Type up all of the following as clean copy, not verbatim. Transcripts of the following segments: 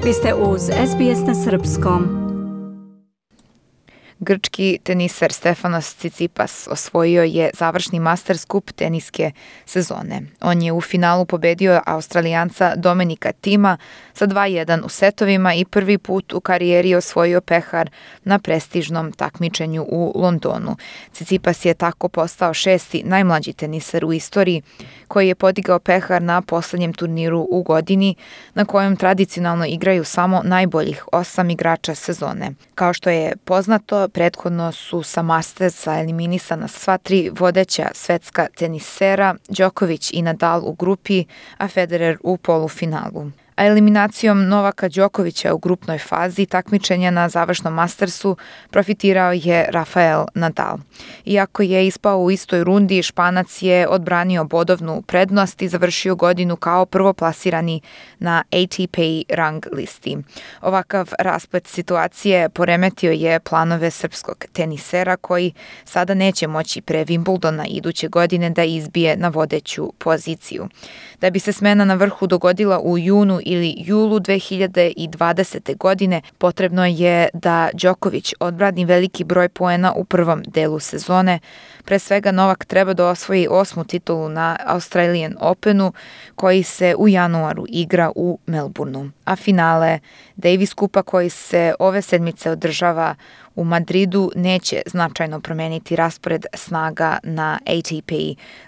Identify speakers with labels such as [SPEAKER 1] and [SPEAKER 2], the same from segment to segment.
[SPEAKER 1] Vi ste uz SBS na Srpskom.
[SPEAKER 2] Grčki teniser Stefanos Tsitsipas osvojio je završni Masters Cup teniske sezone. On je u finalu pobedio Australijanca Dominika Thima sa 2:1 u setovima i prvi put u karijeri osvojio pehar na prestižnom takmičenju u Londonu. Tsitsipas je tako postao 6. najmlađi teniser u istoriji koji je podigao pehar na poslednjem turniru u godini na kojem tradicionalno igraju samo najboljih 8 igrača sezone. Kao što je poznato, prethodno su sa Mastersa eliminisana sva 3 vodeća svetska tenisera, Đoković i Nadal u grupi, a Federer u polufinalu. A eliminacijom Novaka Đokovića u grupnoj fazi takmičenja na završnom Mastersu profitirao je Rafael Nadal. Iako je ispao u istoj rundi, Španac je odbranio bodovnu prednost i završio godinu kao prvoplasirani na ATP rang listi. Ovakav rasplet situacije poremetio je planove srpskog tenisera koji sada neće moći pre Wimbledona iduće godine da izbije na vodeću poziciju. Da bi se smena na vrhu dogodila u junu ili julu 2020. godine, potrebno je da Đoković odbrani veliki broj poena u prvom delu sezone. Pre svega Novak treba da osvoji 8. titulu na Australian Openu koji se u januaru igra u Melbourneu. A finale Davis Kupa koji se ove sedmice održava u Madridu neće značajno promeniti raspored snaga na ATP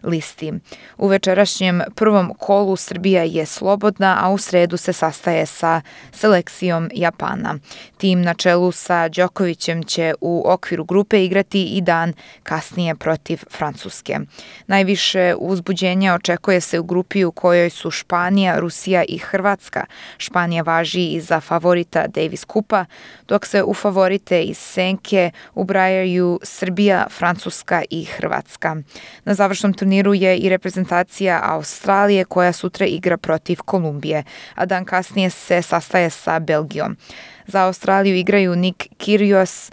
[SPEAKER 2] listi. U večerašnjem prvom kolu Srbija je slobodna, a u sredu se sastaje sa selekcijom Japana. Tim na čelu sa Đokovićem će u okviru grupe igrati i dan kasnije protiv Francuske. Najviše uzbuđenja očekuje se u grupi u kojoj su Španija, Rusija i Hrvatska. Španija važi i za favorita Davis Kupa, dok se u favorite iz senke ubrajaju Srbija, Francuska i Hrvatska. Na završnom turniru je i reprezentacija Australije koja sutra igra protiv Kolumbije, a dan kasnije se sastaje sa Belgijom. Za Australiju igraju Nick Kyrgios,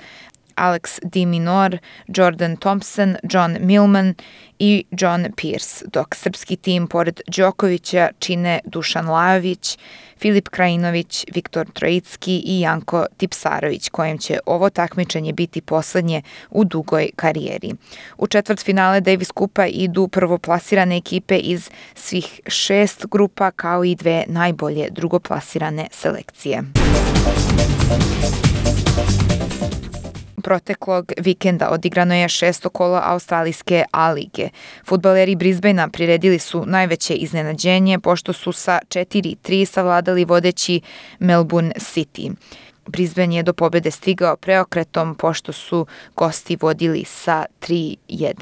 [SPEAKER 2] Alex de Minaur, Jordan Thompson, John Millman i John Pearce, dok srpski tim pored Đokovića čine Dušan Lajović, Filip Krajinović, Viktor Trojicki i Janko Tipsarević, kojem će ovo takmičenje biti poslednje u dugoj karijeri. U četvrtfinale Davis Kupa idu prvoplasirane ekipe iz svih 6 grupa kao i 2 najbolje drugoplasirane selekcije. Proteklog vikenda odigrano je 6. kolo australijske A-lige. Fudbaleri Brisbanea priredili su najveće iznenađenje pošto su sa 4:3 savladali vodeći Melbourne City. Brisbane je do pobede stigao preokretom pošto su gosti vodili sa 3:1.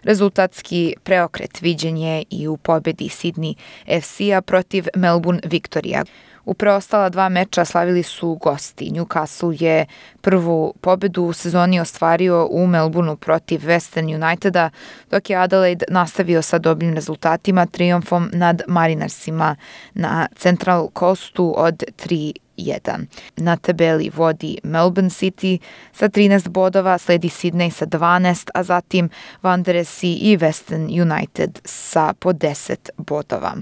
[SPEAKER 2] Rezultatski preokret viđen je i u pobedi Sydney FC-a protiv Melbourne Victoria. U preostala 2 meča slavili su gosti. Newcastle je prvu pobedu u sezoni ostvario u Melbourneu protiv Western Uniteda, dok je Adelaide nastavio sa dobrim rezultatima trijumfom nad Marinersima na Central Coastu od 3:1. Na tabeli vodi Melbourne City sa 13 bodova, sledi Sydney sa 12, a zatim Wanderers i Western United sa po 10 bodova.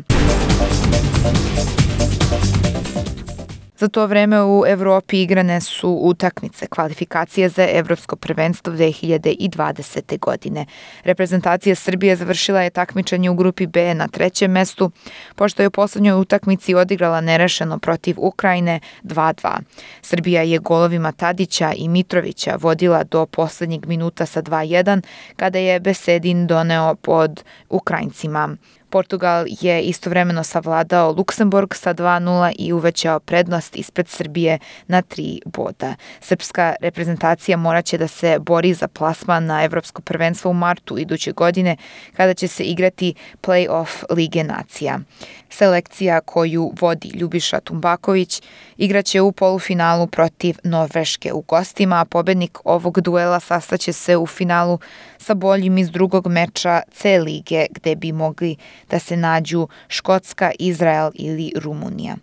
[SPEAKER 2] Za to vreme u Evropi igrane su utakmice kvalifikacije za Evropsko prvenstvo 2020. godine. Reprezentacija Srbije završila je takmičenje u grupi B na 3. mestu, pošto je u poslednjoj utakmici odigrala nerešeno protiv Ukrajine 2:2. Srbija je golovima Tadića i Mitrovića vodila do poslednjeg minuta sa 2:1, kada je Besedin doneo pod Ukrajincima. Portugal je istovremeno savladao Luksemburg sa 2:0 i uvećao prednost ispred Srbije na 3 boda. Srpska reprezentacija moraće da se bori za plasman na Evropsko prvenstvo u martu iduće godine, kada će se igrati play-off Lige nacija. Selekcija koju vodi Ljubiša Tumbaković igraće u polufinalu protiv Norveške u gostima, a pobednik ovog duela sastaće se u finalu sa boljim iz drugog meča C lige, gde bi mogli da se nađu Škotska, Izrael ili Rumunija.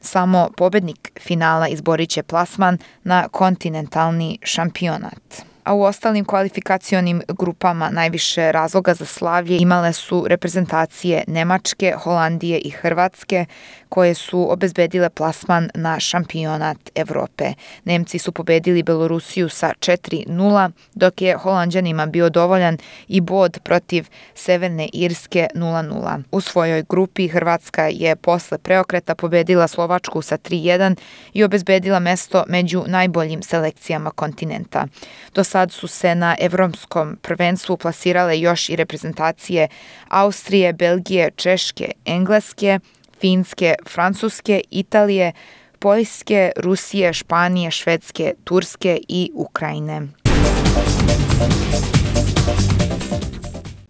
[SPEAKER 2] Samo pobednik finala izborit će plasman na kontinentalni šampionat. A u ostalim kvalifikacionim grupama najviše razloga za slavlje imale su reprezentacije Nemačke, Holandije i Hrvatske, koje su obezbedile plasman na šampionat Evrope. Nemci su pobedili Belorusiju sa 4:0, dok je Holanđanima bio dovoljan i bod protiv Severne Irske 0:0. U svojoj grupi Hrvatska je posle preokreta pobedila Slovačku sa 3:1 i obezbedila mesto među najboljim selekcijama kontinenta. Do sad su se na evropskom prvenstvu plasirale još i reprezentacije Austrije, Belgije, Češke, Engleske, Finske, Francuske, Italije, Poljske, Rusije, Španije, Švedske, Turske i Ukrajine.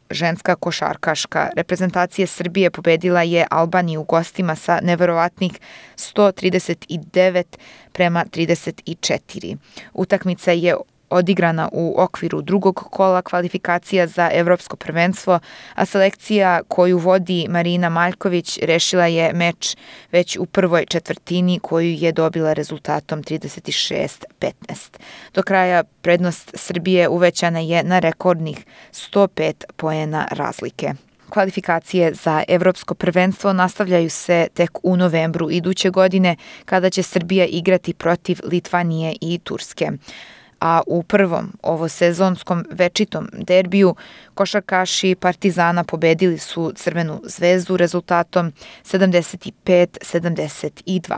[SPEAKER 2] Ženska košarkaška reprezentacija Srbije pobedila je Albaniju u gostima sa neverovatnih 139-34. Utakmica je odigrana u okviru drugog kola kvalifikacija za evropsko prvenstvo, a selekcija koju vodi Marina Maljković rešila je meč već u prvoj četvrtini koju je dobila rezultatom 36-15. Do kraja prednost Srbije uvećana je na rekordnih 105 poena razlike. Kvalifikacije za evropsko prvenstvo nastavljaju se tek u novembru iduće godine kada će Srbija igrati protiv Litvanije i Turske. A u prvom ovosezonskom večitom derbiju košarkaši Partizana pobedili su Crvenu zvezdu rezultatom 75-72.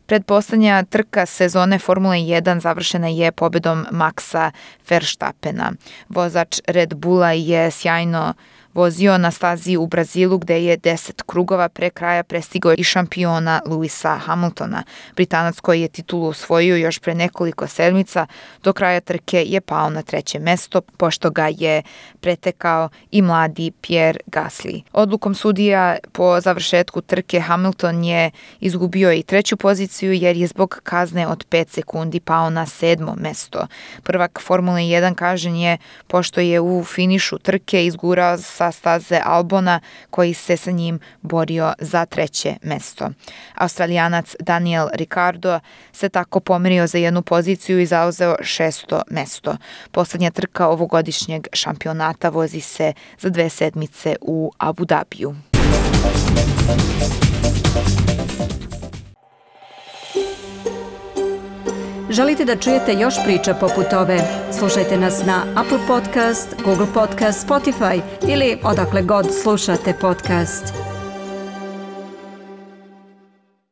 [SPEAKER 2] Predposlednja trka sezone Formule 1 završena je pobedom Maxa Verstappena. Vozač Red Bulla je sjajno vozio na stazi u Brazilu gde je 10 krugova pre kraja prestigao i šampiona Lewisa Hamiltona. Britanac koji je titulu osvojio još pre nekoliko sedmica, do kraja trke je pao na 3. mesto, pošto ga je pretekao i mladi Pierre Gasly. Odlukom sudija po završetku trke Hamilton je izgubio i 3. poziciju jer je zbog kazne od 5 sekundi pao na 7. mesto. Prvak Formule 1 kažnjen je pošto je u finišu trke izgurao sa staze Albona koji se sa njim borio za 3. mesto. Australijanac Daniel Ricciardo se tako pomerio za 1 poziciju i zauzeo 6. mesto. Poslednja trka ovogodišnjeg šampionata vozi se za 2 sedmice u Abu Dhabiju.
[SPEAKER 1] Želite da čujete još priča poput ove? Slušajte nas na Apple Podcast, Google Podcast, Spotify ili odakle god slušate podcast.